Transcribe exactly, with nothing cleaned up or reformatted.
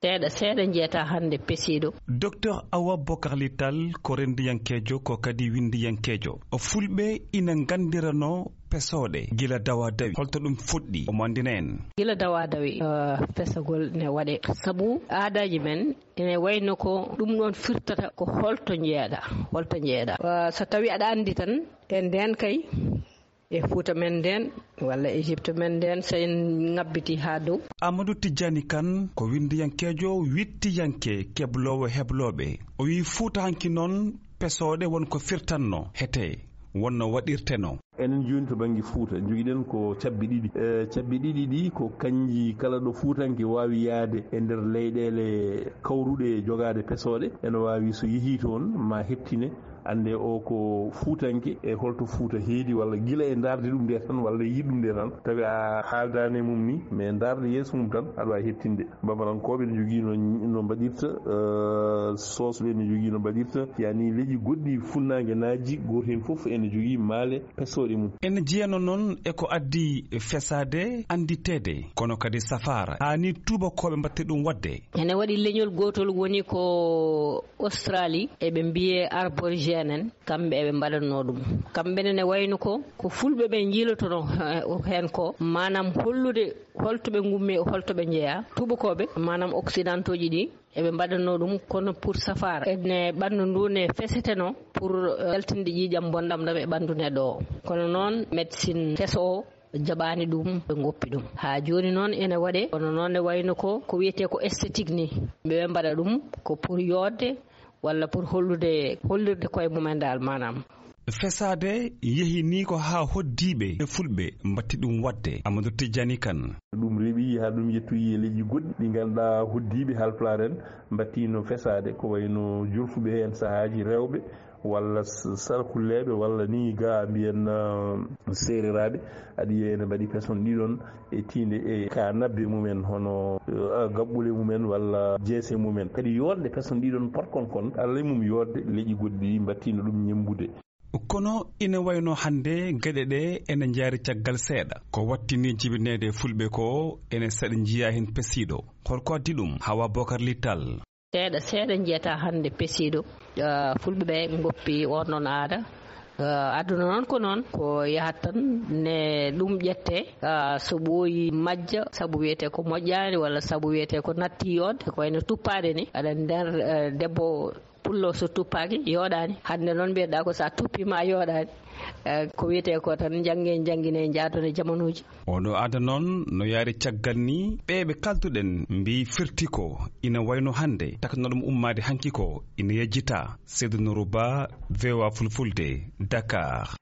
Seeɗa, seeɗa njeyataa hannde pesiiɗo. Docteur Awa Bokarli Tall ko renndiyankeejo, ko kadi winndiyankeejo. Fulɓe ina nganndiranoo pesooɗe gila dawaa dawi. Holto ɗum fuɗɗi? Omo anndina en. Gila dawaa dawi, eh, pesagol ne waɗee. Sabu aadaaji men ene wayno ko ɗum ɗoon firtata ko holto njeyaɗaa, holto njeyaɗaa. Eh, so tawii aɗa anndi tan, e ndeen kay, e Fuuta men ndeen, walla Égypte men ndeen, so en ŋabbitii haa dow. Amadou Tijjani Kan ko winndiyankeejo, wiɗtiyanke, kebloowo heblooɓe. O wiyi Fuuta hanki noon, pesooɗe won ko firtanno, hete won no waɗirtenoo. Enen jooni to bannge Fuuta, njogiɗen ko cabbi ɗiɗi. E, cabbi ɗiɗi ɗi ko kanji kala ɗo Fuutanke waawi yahde e nder leyɗeele kawruɗe e jogaade pesooɗe, ene waawi so yehii toon ma heɓtine annde o ko Fuutanke e holto Fuuta heedi, walla gila e ndaarde ɗum nde tan, walla e yiɗ ɗum nde tan, tawi a haaldaani e mum ni, mais ndaarde yeeso mum tan, aɗa waawi heɓtinde. Bambarankooɓe ne jogii no, no mbaɗirta, eh, Soosɓe ne jogii no mbaɗirta, yani leƴƴi goɗɗi funnaange naaji, gooto heen fof ene jogii maale pesooɗe mum. Ene jeyano noon e ko addi fesaade, annditeede, kono kadi safaara. Haani tuubakooɓe mbaɗta ɗum waɗde. Ene waɗi leñol gootol woni ko Australie, eɓe mbiyee Aborigène en, kamɓe eɓe mbaɗatnoo ɗum. Kamɓe ne, ne wayno ko, ko Fulɓe ɓe njiilotonoo, eh, heen ko, maanaam hollude holto ɓe ngummi, holto ɓe njeyaa. Tuubakooɓe, maanaam occidentaux ji ɗi, eɓe mbaɗatnoo ɗum, kono pour safaara. Ene ɓanndu ndu ne fesetenoo pour, eh, yaltinde ƴiiƴam bonɗam ɗam e ɓanndu neɗɗo o. Kono noon, médecine keso o, jaɓaani ɗum, ɓe ngoppi ɗum. Haa jooni noon ene waɗee, kono noon ne wayno ko, ko wiyetee ko esthétique ni. Ɓe mbaɗa ɗum ko pour yooɗde walla pour hollude, hollirde koye mumen daal, maanaam. Fesaade yehi ni ko haa hoddiiɓe e Fulɓe mbaɗti ɗum waɗde. Amadou Tijjani Kan. Ɗum rewi haa ɗum yettoyi e leƴƴi goɗɗi ɗi ngannduɗaa hoddiiɓe Haalpulaar en mbaɗti no fesaade, ko wayno jolfuɓe heen sahaaji rewɓe, walla s-, sarkulleeɓe, walla ni ga mbiyen, uh, seereraaɓe, aɗi ene mbaɗi peson ɗiɗon e tiinde e ka nabbe mumen, hono, uh, gaɓɓule mumen walla jeese mumen. Kadi yooɗde peson ɗiɗon potkon kon, Allah e mum yooɗde leƴƴi goɗɗi mbaɗtiino ɗum ñemmbude. Kono ina wayno hannde geɗe ɗe ene njaari caggal seeɗa. Ko wattini jibineede Fulɓe ko ene seeɗa njiyaa heen pesiiɗo. Holko addi ɗum? Hawa Bokar Littal. Seeɗa, seeɗa njeyataa hannde pesiiɗo. Ah, Fulɓe ɓe ngoppi oon ɗoon aada. Ah, aduna noon ko noon, ko yahat tan ne ɗum ƴettee, ah, so ɓooyi majja, sabu wiyetee ko moƴƴaani walla sabu wiyetee ko natti yooɗde, ko wayno tuppaade ni. Aɗa nder, eh, debbo pullo so tuppaaki yooɗaani. Hannde noon mbiyeɗaa ko so a tuppiima a yooɗaani. Eh, ko wiyetee ko tan njannge, njanngine, njaadone jamanuuji. Oɗo aada noon no yaari caggal ni, ɓe ɓe kalduɗen mbiyi firti ko ina wayno hannde takno ɗum ummaade hanki ko ina yejjita. Seydou Nourou Ba, V O A Fulfulde, Dakar.